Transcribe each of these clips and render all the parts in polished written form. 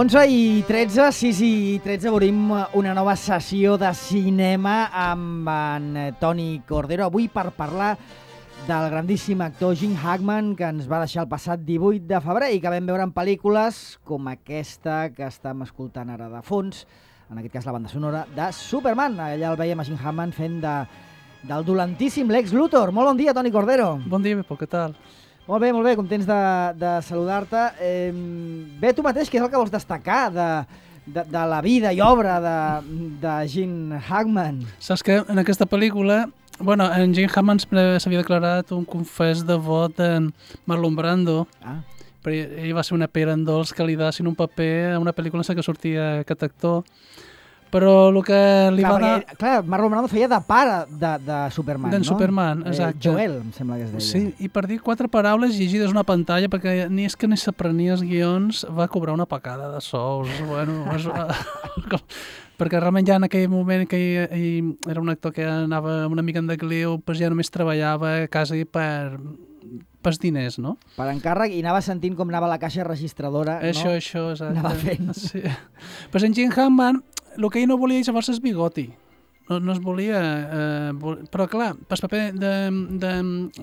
11:13, 6:13, obrim una nova sessió de cinema amb en Toni Cordero. Avui per parlar del grandíssim actor Gene Hackman, que ens va deixar el passat 18 de febrer i que vam veure en pel·lícules com aquesta que estem escoltant ara de fons, en aquest cas la banda sonora de Superman. Allà el veiem a Gene Hackman fent del dolentíssim Lex Luthor. Molt bon dia, Toni Cordero. Bon dia, Bepo, què tal? Molt bé, contents de saludar-te. Bé, tu mateix, què és el que vols destacar de la vida i obra de Gene Hackman? Saps que en aquesta pel·lícula, en Gene Hackman s'havia declarat un confés devot de Marlon Brando, però ell va ser una pera en dolç que li dassin un paper a una pel·lícula en què sortia aquest actor. Però el que li va dar... Clar, Marlon Brando feia de pare de Superman, no? D'en Superman, exacte. Joel, em sembla que es deia. Sí, i per dir 4 paraules llegides una pantalla, perquè ni s'aprenia els guions, va cobrar una pacada de sous. Perquè realment ja en aquell moment que ell era un actor que anava una mica en decliu, doncs ja només treballava quasi pels diners, no? Per encàrrec, i anava sentint com anava la caixa registradora, no? Això, exacte. Anava fent. Sí. Però en Gene Hackman, el que ell no volia llavors és bigoti. No es volia... però clar, pel paper de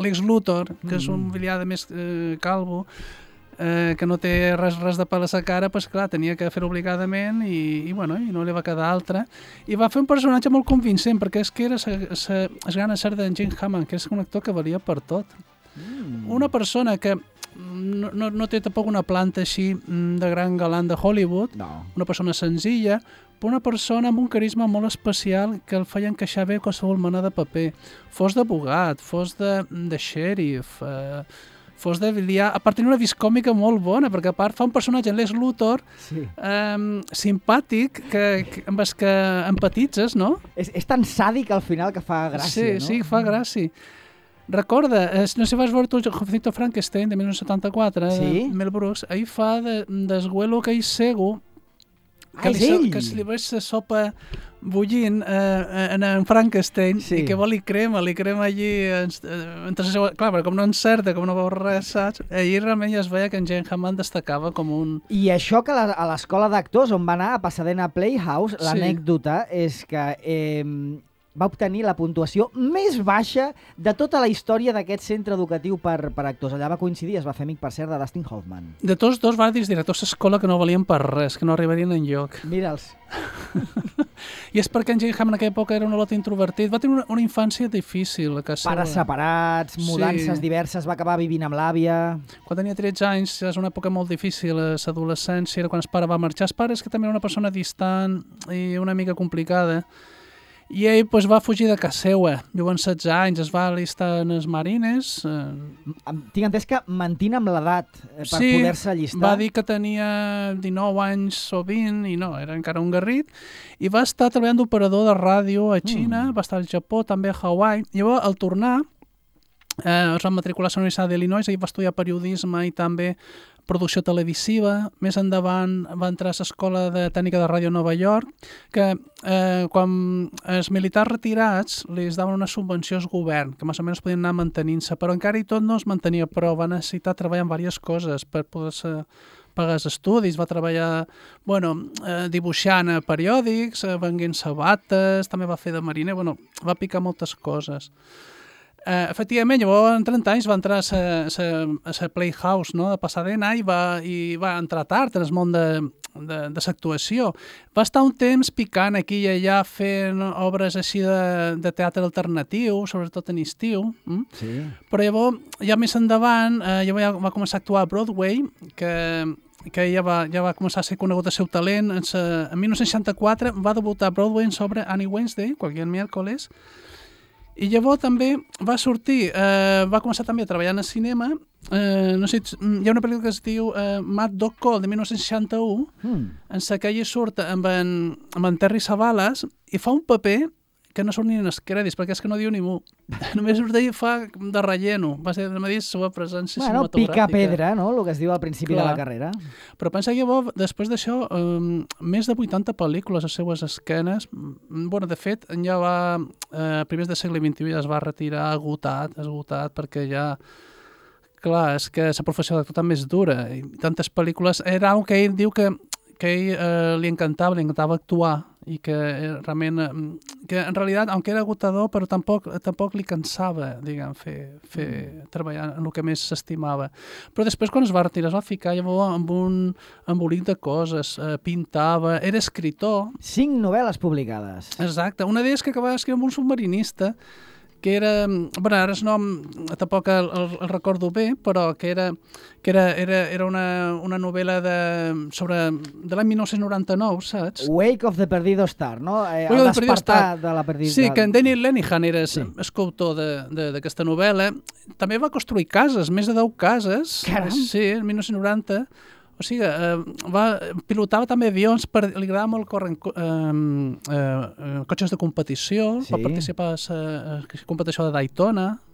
Lex Luthor, que és un villada més calvo, que no té res de pèl a sa cara, doncs clar, tenia que fer-ho obligadament i no li va quedar altra. I va fer un personatge molt convincent, perquè és que era es gana ser de Gene Hackman, que és un actor que valia per tot. Una persona que no té tampoc una planta així de gran galant de Hollywood, una persona senzilla, però una persona amb un carisma molt especial que el feia encaixar bé qualsevol mena de paper. Fos d'abogat, fos de xèrif, fos de biliar. A part, tenia una vis còmica molt bona, perquè a part fa un personatge, Lex Luthor, simpàtic, amb el que empatitzes, no? És tan sàdic al final que fa gràcia, no? Sí, fa gràcia. Recorda, no sé si vas veure tu el Jovencito Frankenstein de 1974, de Mel Brooks, ahir fa d'esguelo que ell cego, que se li veig la sopa bullint en Frankenstein i que li crema allí clar, però com no encerta, com no veu res, saps? Ahir realment ja es veia que en Gene Hackman destacava com un... I això que a l'escola d'actors on va anar, a Pasadena Playhouse, l'anècdota és que va obtenir la puntuació més baixa de tota la història d'aquest centre educatiu per actors. Allà va coincidir, es va fer amic, per cert, de Dustin Hoffman. De tots dos va dir directors d'escola que no valien per res, que no arribarien enlloc. Mira'ls. I és perquè en Gene Hackman en aquella època era un lot introvertit. Va tenir una infància difícil a casa. Pares separats, mudances diverses, va acabar vivint amb l'àvia... Quan tenia 13 anys, és una època molt difícil, l'adolescència, era quan el pare va marxar. El pare és que també era una persona distant i una mica complicada. I ell va fugir de casa seva. Llavors, 16 anys, es va alistar en els marines. Tinc entès que mentint amb l'edat per poder-se allistar. Va dir que tenia 19 anys o 20 i no, era encara un garrit. I va estar treballant d'operador de ràdio a Xina, va estar al Japó, també a Hawaii. Llavors, al tornar, es va matricular a la Universitat d'Illinois, ell va estudiar periodisme i també producció televisiva. Més endavant va entrar a l'Escola de Tècnica de Ràdio a Nova York, que quan els militars retirats li daven una subvenció al govern, que més o menys podien anar mantenint-se, però encara i tot no es mantenia prou, va necessitar treballar en diverses coses per poder-se pagar els estudis, va treballar dibuixant a periòdics, venguent sabates, també va fer de mariner, va picar moltes coses. Efectivament, llavors en 30 anys va entrar a la Playhouse, no?, de Pasadena i va entrar tard en el món de l'actuació. Va estar un temps picant aquí i allà fent obres així de teatre alternatiu, sobretot en estiu. Però llavors, ja més endavant, ja va començar a actuar a Broadway, que ja va començar a ser conegut el seu talent. En 1964 va debutar a Broadway en sobre Annie Wednesday, qualsevol miércoles. I llavors també va sortir, va començar també a treballar en el cinema. No sé, hi ha una pel·lícula que es diu Mad Dog Call, de 1961, en la que ell surt amb en Terry Savalas i fa un paper que no surt ni en els crèdits, perquè és que no diu ni mu. Només surt d'ell fa de relleno. Va ser de la seva presència cinematogràfica. Pica pedra, no?, el que es diu al principi de la carrera. Però pensa que llavors, després d'això, més de 80 pel·lícules a les seues esquenes. De fet, ja va, a primers del segle XXI ja es va retirar esgotat, perquè ja... Clar, és que la professió d'actor també és dura. I tantes pel·lícules... Era el que ell diu que ell li encantava actuar i que realment, que en realitat, aunque era agotador, però tampoc li cansava, diguem, treballar en el que més s'estimava. Però després, quan es va retirar, es va ficar llavors amb un embolic de coses, pintava, era escriptor. 5 novel·les publicades. Exacte. Una d'elles que acabava d'escriure amb un submarinista, que era, bueno, ara el nom tampoc el recordo bé, però que era una novel·la de l'any 1999, saps? Wake of the Perdido Star, no? El despertar de la Perdida. Sí, que en Daniel Lenihan era escultor d'aquesta novel·la. També va construir cases, més de 10 cases. Caram! Sí, el 1990. O sigui, pilotava també avions, li agradava molt córrer cotxes de competició, va participar a la competició de Daytona.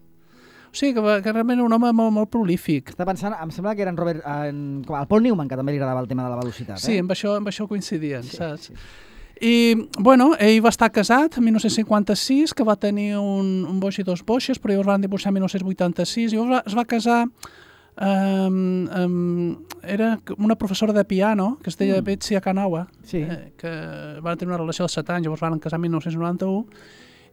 O sigui, que realment era un home molt prolífic. Està pensant, em sembla que era el Paul Newman, que també li agradava el tema de la velocitat. Sí, amb això coincidien, saps? I, bueno, ell va estar casat en 1956, que va tenir un boix i 2 boixes, però llavors van divorciar en 1986, i llavors es va casar. Era una professora de piano que es deia Betsy Akanawa, que van tenir una relació de 7 anys, llavors van casar en 1991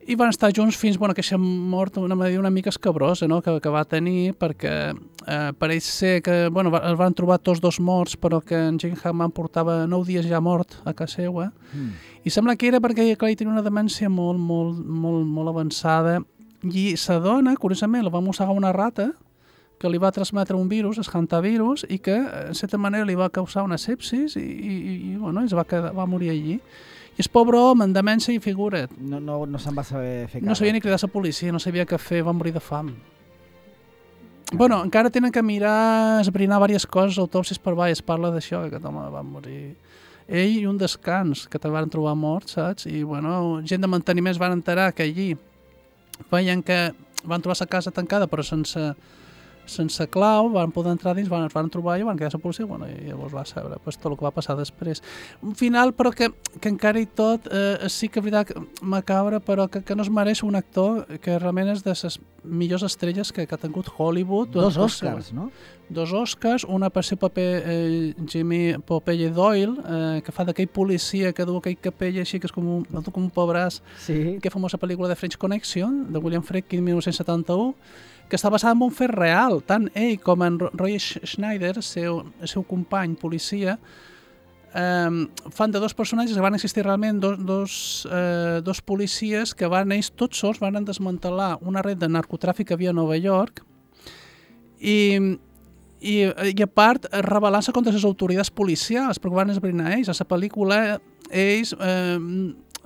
i van estar junts fins aquella mort una mica escabrosa, no? que va tenir, perquè pareix ser que es van trobar tots 2 morts, però que en Gene Hackman portava 9 dies ja mort a casa seva, i sembla que era perquè ell tenia una demència molt avançada, i sa dona, curiosament, la va mossegar una rata que li va transmetre un virus, el hantavirus, i que, en certa manera, li va causar una sepsis i va morir allí. I el pobre home, en demència i figura't. No se'n va saber fer cap. No sabia ni cridar a la policia, no sabia què fer, va morir de fam. Bueno, encara tenen que mirar, esbrinar diverses coses, autòpsies per baix, es parla d'això, que aquest home va morir. Ell i un descans, que te'l van trobar mort, saps? I, gent de manteniment es van enterar que allí veien que van trobar la casa tancada, però sense clau, van poder entrar dins, es van trobar i van quedar a la policia, i llavors va saber tot el que va passar després. Un final, però que encara i tot, sí que és veritat macabra, però que no es mereix un actor que realment és de les millors estrelles que ha tingut Hollywood. 2 Oscars, no? 2 Oscars, una per ser paper Jimmy Popeye Doyle, que fa d'aquell policia que du aquell capell així, que és com un pobràs, que famosa pel·lícula de French Connection, de William Friedkin, 1971, que està basada en un fet real. Tant ell com en Roy Schneider, el seu company policia, fan de 2 personatges que van existir realment, dos policies que ells tots sols van desmantelar una red de narcotràfic que havia a Nova York i a part rebel·lant-se contra les autoritats policials, perquè van esbrinar ells. A la pel·lícula ells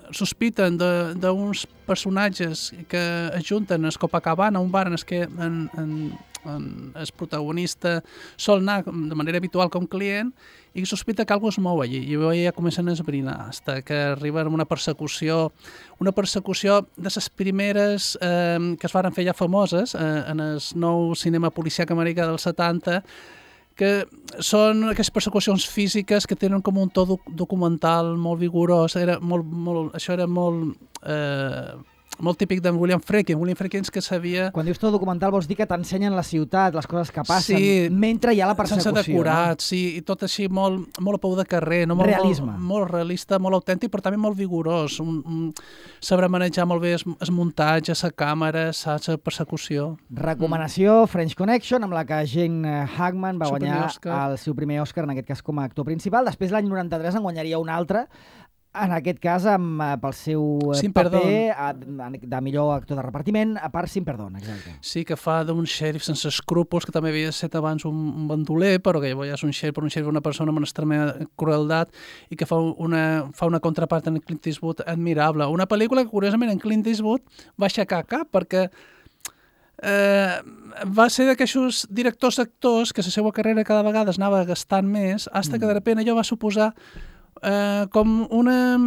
sospiten d'uns personatges que es junten a Copacabana, un bar en què el protagonista sol anar de manera habitual com client i sospita que alguna cosa es mou allí i ja comencen a esbrinar fins que arriben a una persecució de les primeres que es van fer ja famoses en el nou cinema policíac americà dels 70, que són aquestes persecucions físiques que tenen com un to documental molt vigorós. Això era molt típic d'en William Friedkin. William Friedkin que sabia... Quan dius to documental vols dir que t'ensenyen la ciutat, les coses que passen, mentre hi ha la persecució. Sense decorat, sí, i tot així molt a peu de carrer. Realisme. Molt realista, molt autèntic, però també molt vigorós. Sabrà manejar molt bé el muntatge, la càmera, la persecució. Recomanació, French Connection, amb la que Gene Hackman va guanyar el seu primer Oscar, en aquest cas com a actor principal. Després, l'any 93, en guanyaria un altre, en aquest cas pel seu paper de millor actor de repartiment, a part Sin Perdón, exacte. Sí, que fa d'un xèrif sense escrúpols, que també havia estat abans un bandoler, però que llavors ja és un xèrif, una persona amb una extrema crueldat, i que fa una contrapart en Clint Eastwood admirable. Una pel·lícula que, curiosament, en Clint Eastwood va aixecar cap, perquè va ser d'aquests directors-actors que la seva carrera cada vegada es anava gastant més, fins que de repente allò va suposar com una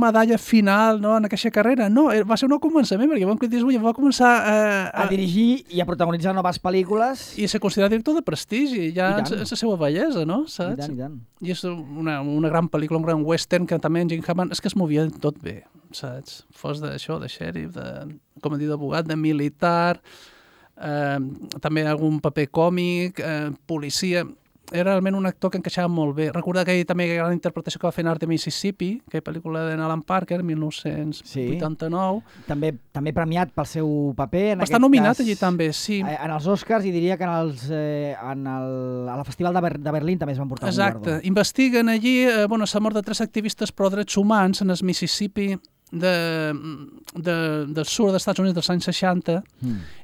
medalla final, no, en aquesta carrera. No, va ser un començament, perquè Clint Eastwood va començar a dirigir i a protagonitzar noves pel·lícules. I se considera director de prestigi, ja és la seva bellesa, no? Saps? I tant. I és una gran pel·lícula, un gran western, que també en Gene Hackman és que es movia tot bé, saps? Fos d'això, de xèrif, com a dir, d'abogat, de militar, també algun paper còmic, policia... era realment un actor que encaixava molt bé. Recorda que ell també hi ha la interpretació que va fer en Art de Mississippi, que és pel·lícula de Alan Parker, 1989. També premiat pel seu paper. Està nominat allí també, sí. En els Oscars, i diria que a la Festival de Berlín també es van portar un guardó. Exacte. Investiguen allí la mort de 3 activistes pro drets humans en el Mississippi del sud dels Estats Units dels anys 60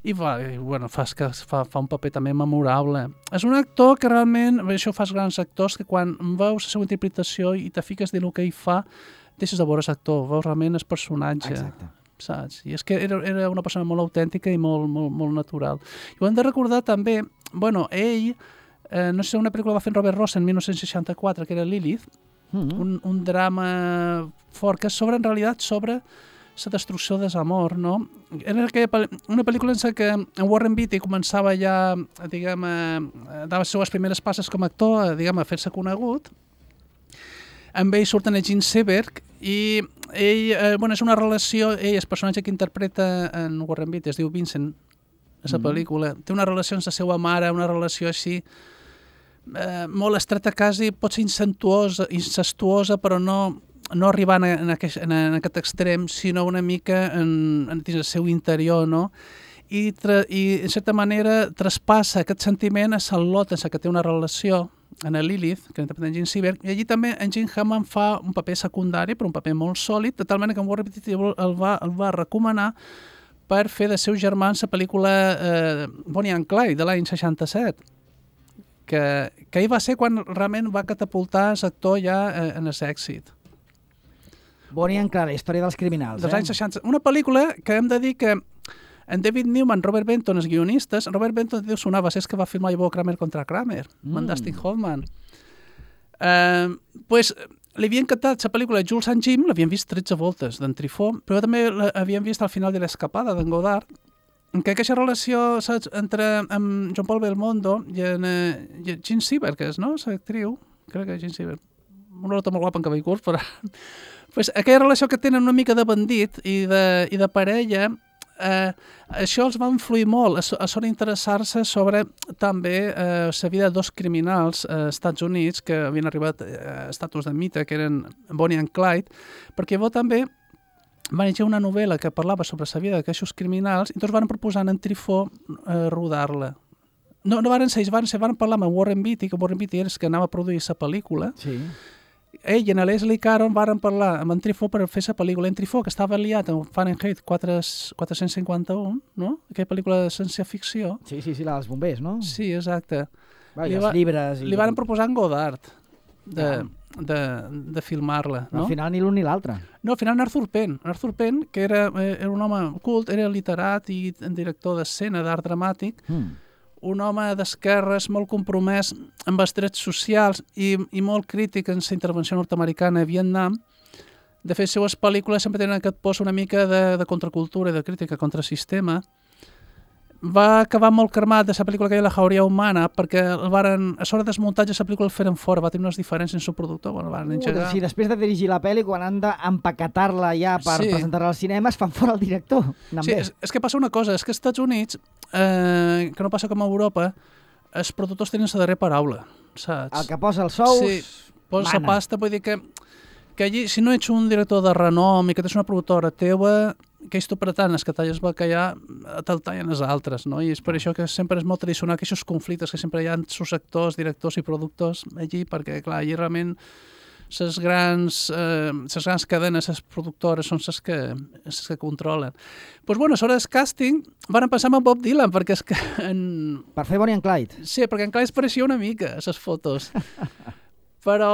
i fa un paper també memorable. És un actor que realment, això fa els grans actors, que quan veus la seva interpretació i te fiques dins el que ell fa, deixes de veure l'actor, veus realment el personatge. Exacte. Saps? I és que era una persona molt autèntica i molt natural. I ho hem de recordar també, ell, no sé, una pel·lícula va fer en Robert Ross en 1964, que era Lilith, un drama fort que és en realitat sobre la destrucció del amor, no? Era una pel·lícula en què en Warren Beatty començava ja, dava les seves primeres passes com a actor, a fer-se conegut. Amb ell surten Gene Seberg i ell, és una relació, el personatge que interpreta en Warren Beatty es diu Vincent, a la pel·lícula, té una relació amb la seva mare, una relació així molt estreta, quasi pot ser incestuosa, però no arribant en aquest extrem, sinó una mica dins el seu interior, no? I en certa manera traspassa aquest sentiment a Charlotte, en què té una relació, en Lilith, que interpreta en Gene Seberg, i allí també en Gene Hammond fa un paper secundari, però un paper molt sòlid, de tal manera que en Warren Beatty el va recomanar per fer de seus germans la pel·lícula Bonnie and Clyde, de l'any 67, que ell va ser quan realment va catapultar l'actor ja en l'èxit. Bonnie and Clyde, la història dels criminals. Dels anys 60. Una pel·lícula que hem de dir que en David Newman, Robert Benton, els guionistes, Robert Benton deu sonava, és que va filmar Ivo Kramer contra Kramer, amb Dustin Hoffman. Li havia encantat la pel·lícula Jules and Jim, l'havien vist 13 voltes d'en Truffaut, però també l'havien vist al final de l'Escapada d'en Godard, que aquesta relació, saps, entre John Paul Belmondo i Gene Seberg, que és, no?, l'actriu, crec que és Gene Seberg, una nota molt guapa en cabell curt, però aquella relació que tenen una mica de bandit i de parella, això els va influir molt a sobre interessar-se sobre també la vida de 2 criminals als Estats Units que havien arribat a estatus de mite, que eren Bonnie and Clyde, perquè també van llegir una novel·la que parlava sobre la vida d'aquests criminals i tots van proposar en Truffaut rodar-la. No van ser ells, van parlar amb Warren Beatty, que Warren Beatty era el que anava a produir la pel·lícula. Sí. Ell i en Leslie Caron van parlar amb en Truffaut per fer la pel·lícula. En Truffaut, que estava liat amb Fahrenheit 451, no? Aquella pel·lícula de ciència-ficció. Sí, la dels bombers, no? Sí, exacte. Els llibres... Li van proposar en Godard de filmar-la, no? Al final ni l'un ni l'altre. No, al final Arthur Penn. Arthur Penn, que era un home cult, era literat i director d'escena d'art dramàtic, un home d'esquerres molt compromès amb els drets socials i molt crític en la intervenció nord-americana a Vietnam. De fet, les seues pel·lícules sempre tenen aquest post una mica de contracultura i de crítica contra el sistema. Va acabar molt cremat de la pel·lícula que hi ha La jauria humana, perquè a sobre del muntatge la pel·lícula el feren fora, va tenir unes diferències amb el productor. Si després de dirigir la pel·li, quan han d'empaquetar-la ja per presentar-la al cinema, es fan fora el director. Sí, és que passa una cosa, és que als Estats Units, que no passa com a Europa, els productors tenen la darrera paraula, saps? El que posa els sous, sí, posa la pasta, vull dir que allí, si no ets un director de renom i que tens una productora teua, que ells t'ho pretant, els que talles bacallà, te'l tallen els altres, no? I és per això que sempre és molt tradicional que aquests conflictes que sempre hi ha entre els actors, directors i productors allí, perquè, clar, allí realment les grans cadenes, les productores, són les que controlen. Doncs, sobre el càsting, van passar amb Bob Dylan, perquè és que... Per fer Bonnie and Clyde? Sí, perquè en Clyde es pareixia una mica, a les fotos. Però,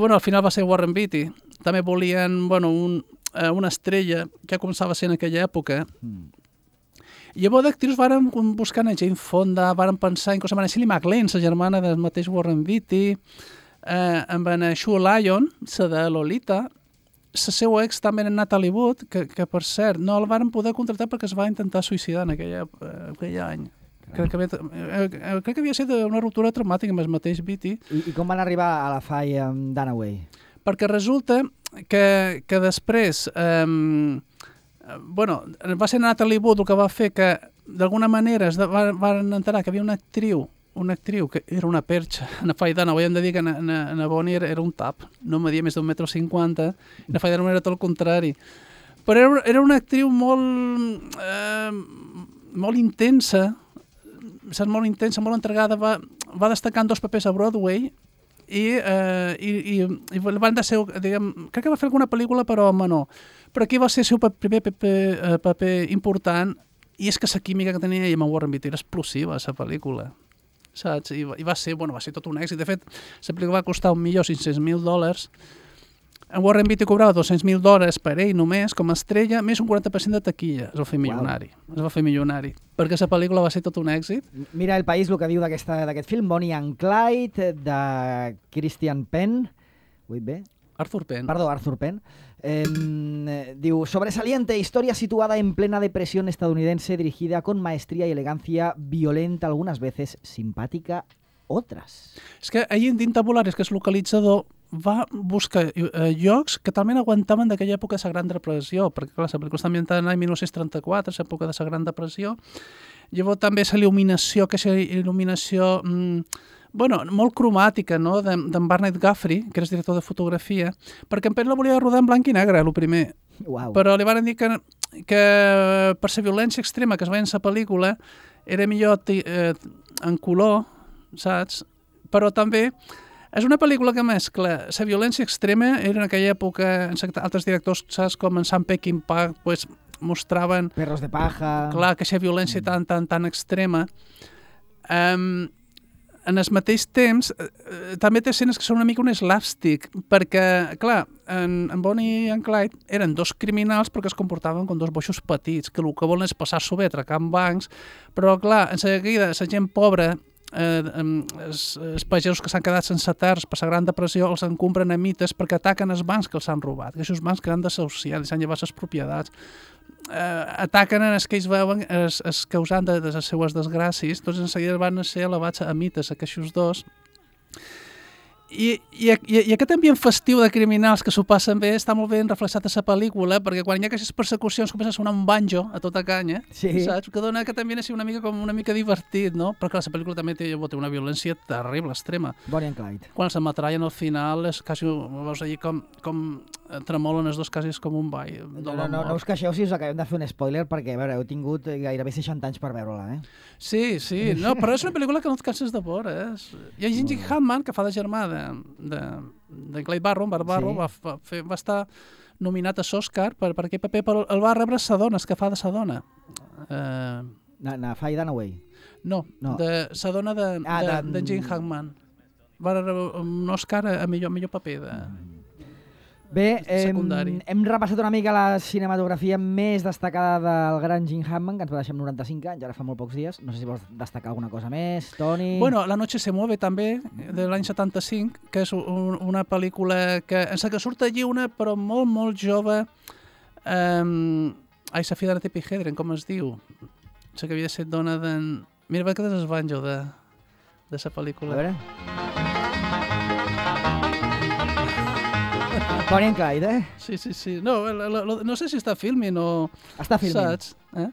al final va ser Warren Beatty. També volien, una estrella que començava a ser en aquella època. I llavors d'actrius varen buscar a Jane Fonda, varen pensar inclús en Shirley MacLaine, la germana del mateix Warren Beatty, amb en Sue Lyon, la de Lolita, la seva ex també en Natalie Wood, que per cert no el varen poder contractar perquè es va intentar suïcidar en aquell any. Crec que havia estat una ruptura traumàtica amb el mateix Beatty. I com van arribar a la Fay amb Dunaway? Perquè resulta que després va ser Natalie Wood el que va fer que d'alguna manera van enterar que havia una actriu, una actriu que era una perxa, na Faidana, ho hem de dir que na Bonnie era un tap, no media més d'1,50 m, i na Faidana era tot el contrari. Però era una actriu molt intensa, saps, molt intensa, molt entregada, va destacar en 2 papers a Broadway i van de ser, diguem, crec que va fer alguna pel·lícula però menor, però aquí va ser el seu primer paper important, i és que la química que tenia ella amb Warren Beatty era explosiva, la pel·lícula, saps? I va ser tot un èxit. De fet, la pel·lícula va costar $1.500.000. En Warren Beatty cobrava $200.000 per ell només, com a estrella, més un 40% de taquilla. Es va fer milionari. Es va fer milionari. Perquè la pel·lícula va ser tot un èxit. Mira El País, el que diu d'aquest film, Bonnie and Clyde, de Christian Penn. Ho he dit bé? Arthur Penn. Perdó, Arthur Penn. Diu, sobresaliente historia situada en plena depresión estadounidense, dirigida con maestría y elegancia, violenta algunas veces, simpàtica otras. És que ahir en Tabulares, que és localitzador, va buscar llocs que talment aguantaven d'aquella època de la Gran Depressió, perquè clar, la pel·lícula està ambientada en l'any 1934, l'època de la Gran Depressió. Llavors també la il·luminació, que és il·luminació molt cromàtica, no?, d'en Barnett Guthrie, que és director de fotografia, perquè en Penn la volia rodar en blanc i negre, el primer. Wow. Però li van dir que per la violència extrema que es veia en la pel·lícula era millor en color, saps? Però també és una pel·lícula que mescla la violència extrema, era en aquella època, altres directors, saps, com en Sam Peckinpah, pues, mostraven... Perros de paja... Clar, que aquesta violència tan extrema. En el mateix temps, també té escenes que són una mica un slapstick, perquè, clar, en Bonnie and Clyde eren 2 criminals però que es comportaven com 2 boixos petits, que el que volen és passar-s'ho bé, atracant bancs, però, clar, en seguida, la gent pobra, els pagesos que s'han quedat sense terres per la Gran Depressió els encompren a mites perquè ataquen els bancs que els han robat, que aquests bancs que han desahuciat i s'han llevat les propietats. Ataquen els que ells veuen els causants de les seues desgràcies, doncs en seguida van ser elevats a mites aquests 2. I aquest ambient festiu de criminals que s'ho passen bé està molt ben reflexat a la pel·lícula, perquè quan hi ha aquestes persecucions comença a sonar un banjo a tota canya, saps? Que dona que també és una mica divertit, no? Però clar, la pel·lícula també té una violència terrible, extrema. Bonnie and Clyde. Quan se matrallen al final, és quasi, veus allà com tremolen els 2 quasi com un ball de la mort. No us queixeu si us acabem de fer un spoiler, perquè, a veure, heu tingut gairebé 60 anys per veure-la, eh? Sí, no, però és una pel·lícula que no et canses de veure, eh? Hi ha Gene Hackman, que fa de germà de Clyde Barrow, va estar nominat a l'Oscar per aquest paper, però el va rebre Sadones, que fa de Sadona. Na Faye Dunaway? No, de Sadona de Gene Hackman. Va rebre un Oscar a millor paper de... Bé, hem repassat una mica la cinematografia més destacada del gran Gene Hackman, que ens va deixar amb 95 anys, ara fa molt pocs dies. No sé si vols destacar alguna cosa més, Toni? Bueno, La noche se mueve també, de l'any 75, que és una pel·lícula que, en la que surt allí una, però molt, molt jove, la filla de Tippi Hedren, com es diu? La que havia de ser dona d'en... Mira, que és el banjo de la pel·lícula. A veure... Bonnie and Clyde, eh? Sí. No sé si està filming o... Està filming. Saps?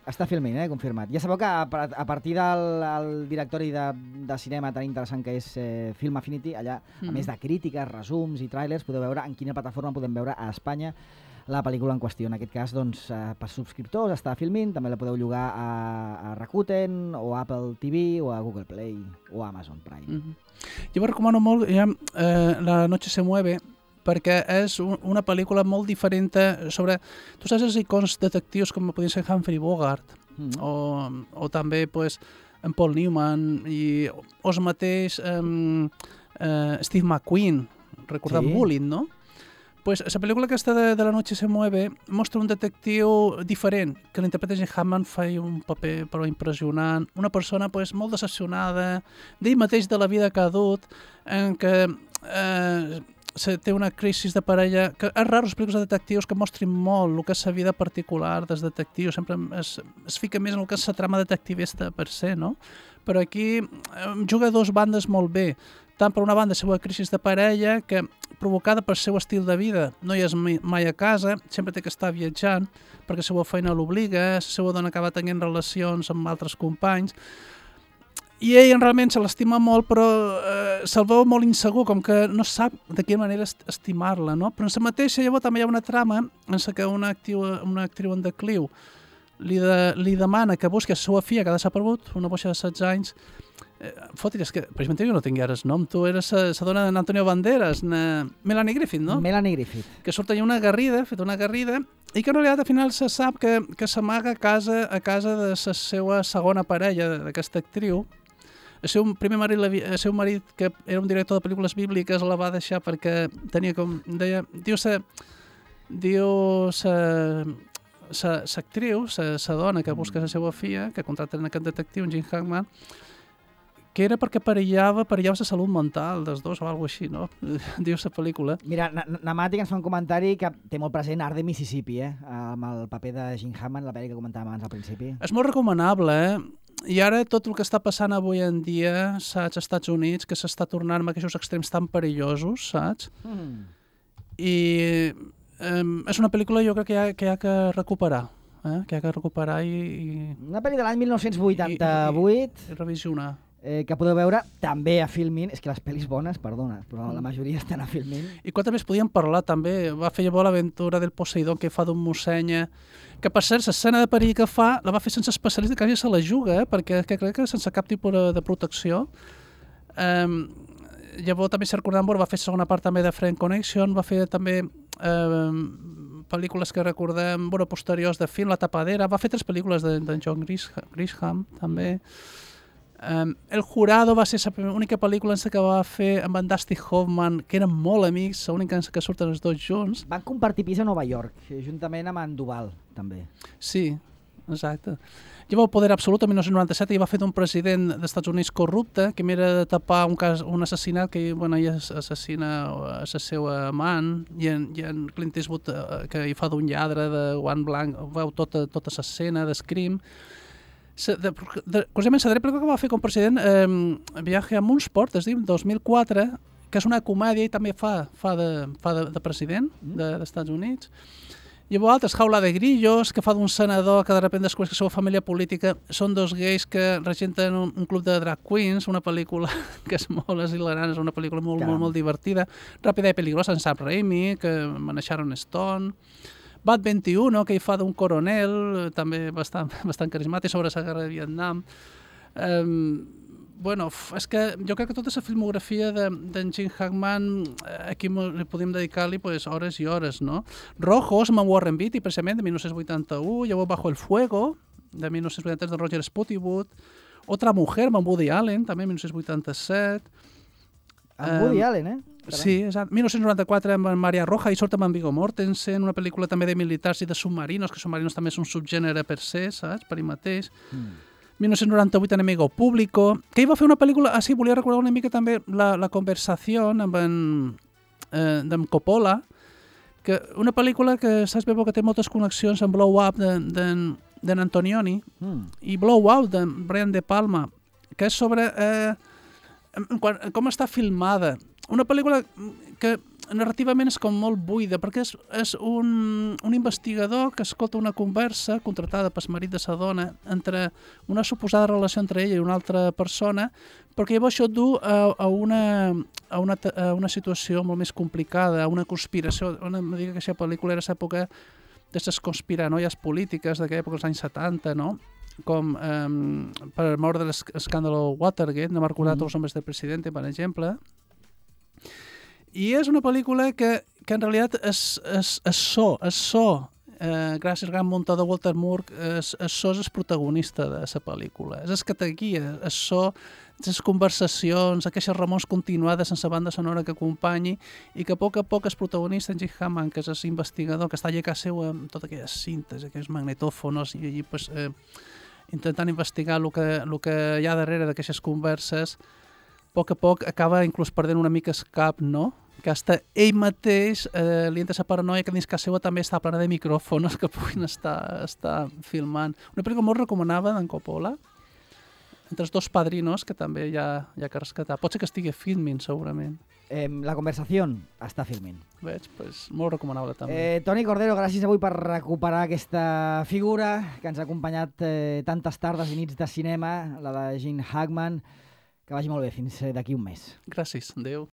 Està filming, confirmat. Ja sabeu que a partir del directori de cinema tan interessant que és Film Affinity, allà, a més de crítiques, resums i trailers, podeu veure en quina plataforma podem veure a Espanya la pel·lícula en qüestió. En aquest cas, doncs, per subscriptors està filming, també la podeu llogar a Rakuten o a Apple TV o a Google Play o a Amazon Prime. Jo recomano molt La noche se mueve, perquè és una pel·lícula molt diferent sobre... Tu saps els icons detectius com podien ser Humphrey Bogart o també pues, en Paul Newman i el mateix Steve McQueen, recordant Bullitt, no? Pues la pel·lícula aquesta de La noche se mueve mostra un detectiu diferent, que l'interpreta Gene Hackman, fa un paper però impressionant, una persona pues, molt decepcionada d'ell mateix, de la vida que ha dut, en què té una crisi de parella, que és raro les pel·lícules de detectius que mostrin molt el que és la vida particular dels detectius, sempre es fica més en el que és la trama detectivista per se, no? Però aquí juga 2 bandes molt bé, tant per una banda la seva crisi de parella, que provocada pel seu estil de vida, no hi és mai a casa, sempre té que estar viatjant, perquè la seva feina l'obliga, la seva dona acaba tenint relacions amb altres companys, I ell realment se l'estima molt, però se'l veu molt insegur, com que no sap de quina manera estimar-la, no? Però en la mateixa llavors també hi ha una trama en què una actriu en decliu li demana que busqui la seva filla que ha desaparegut, una boixa de 16 anys. Foti, és que, per exemple, jo no tinc ara el nom, tu eres la dona d'Antonio Banderas, Melanie Griffith, no? Melanie Griffith. Que surt allà una garrida, feta una garrida, i que en realitat al final se sap que s'amaga a casa de la seva segona parella, d'aquesta actriu. El seu primer marit, el seu marit, que era un director de pel·lícules bíbliques, la va deixar perquè tenia com... Deia, l'actriu, la dona que busca la seva filla, que contracta en aquest detectiu, en Jim Hackman, que era perquè perillava la salut mental dels dos o alguna cosa així, no? Diu la pel·lícula. Mira, Namàtic ens fa un comentari que té molt present Art de Mississippi, amb el paper de Jim Hammond, la pel·li que comentàvem abans al principi. És molt recomanable, I ara tot el que està passant avui en dia, saps, als Estats Units, que s'està tornant amb aquests extrems tan perillosos, saps? I és una pel·lícula jo crec que hi ha que recuperar, que hi ha que recuperar i... Una pel·li de l'any 1988. I revisionar. Que podeu veure també a Filmin. És que les pel·lis bones, perdona, però la majoria estan a Filmin. I quan també es podien parlar, també. Va fer llavors l'aventura del Poseidon que fa d'un mossenya, que per cert, l'escena de perill que fa la va fer sense especialista, quasi se la juga, perquè crec que sense cap tipus de protecció. Llavors també s'ha recordat, va fer segona part també de Friend Connection, va fer també pel·lícules que recordem, posteriors de film, La tapadera, va fer 3 pel·lícules de John Grisham, també. El Jurado va ser l'única pel·lícula que va fer amb en Dustin Hoffman, que eren molt amics, l'única que surten els dos junts. Van compartir pis a Nova York, juntament amb en Duval, també. Sí, exacte. Llavors, Poder Absolut, en 1997, i va fer d'un president dels Estats Units corrupte, que mira de tapar un assassinat que ella assassina a la seva amant, i en Clint Eastwood, que hi fa d'un lladre de guant blanc, veu tota l'escena d'escrim. Curiosament, la pel·lícula que va fer com president, Viaje a Moonsport, es diu, 2004, que és una comèdia i també fa de president dels Estats Units. Llavors altres, Jaula de Grillos, que fa d'un senador que de sobte descobreix que la seva família política són 2 gais que regenten un club de drag queens, una pel·lícula que és molt hilarant, és una pel·lícula molt divertida. Ràpida i peligrosa, en Sam Raimi, que manejaron Stone. Bat 21, que hi fa d'un coronel, també bastant carismàtic, sobre la guerra de Vietnam. És que jo crec que tota la filmografia d'en Jim Hackman, aquí li podem dedicar-li hores i hores, no? Rojos, amb Warren Beatty, precisament, de 1981, llavors Bajo el Fuego, de 1983, de Roger Spottiswoode, Otra Mujer, amb Woody Allen, també, 1987. Amb Woody Allen, Sí, exacte. 1994 amb Maria Roja i surt amb en Viggo Mortensen, una pel·lícula també de militars i de submarinos, que submarinos també és un subgènere per se, saps? Per ell mateix. 1998 Enemigo Público, que ell va fer una pel·lícula, sí, volia recordar una mica també la conversació amb en Coppola, que una pel·lícula que saps bé que té moltes connexions amb Blow Up d'en Antonioni i Blow Out de Brian De Palma, que és sobre com està filmada. Una pel·lícula que narrativament és com molt buida, perquè és un investigador que escolta una conversa contratada pel marit de sa dona entre una suposada relació entre ella i una altra persona, perquè llavors això du a una situació molt més complicada, a una conspiració. Em dic que aquesta pel·lícula era l'època de les conspiranoies polítiques d'aquella època, als anys 70, no? Com per mort de l'escàndalo Watergate, no m'ha recordat els homes del president, per exemple. I és una pel·lícula que en realitat és gràcies al gran muntador Walter Moore, és el protagonista de la pel·lícula. És el que te guia, és les conversacions, aquestes remors continuades sense banda sonora que acompanyi, i que a poc és protagonista en Jim Hammond, que és l'investigador, que està allà a casa seu amb totes aquelles cintes, aquells magnetòfons, i allí intentant investigar el que hi ha darrere d'aquestes converses. A poc acaba inclús perdent una mica el cap, no? Que hasta ell mateix li entra la paranoia que dins casa seva també està plena de micròfons que puguin estar filmant. Una pel·lícula molt recomanada d'en Coppola. entre els dos padrinos, que també hi ha que rescatar. Pot ser que estigui filming, segurament. La conversació està filmint. Veig? Pues, molt recomanable, també. Toni Cordero, gràcies avui per recuperar aquesta figura que ens ha acompanyat tantes tardes i nits de cinema, la de Gene Hackman. Que vagi molt bé, fins d'aquí un mes. Gràcies, adeu.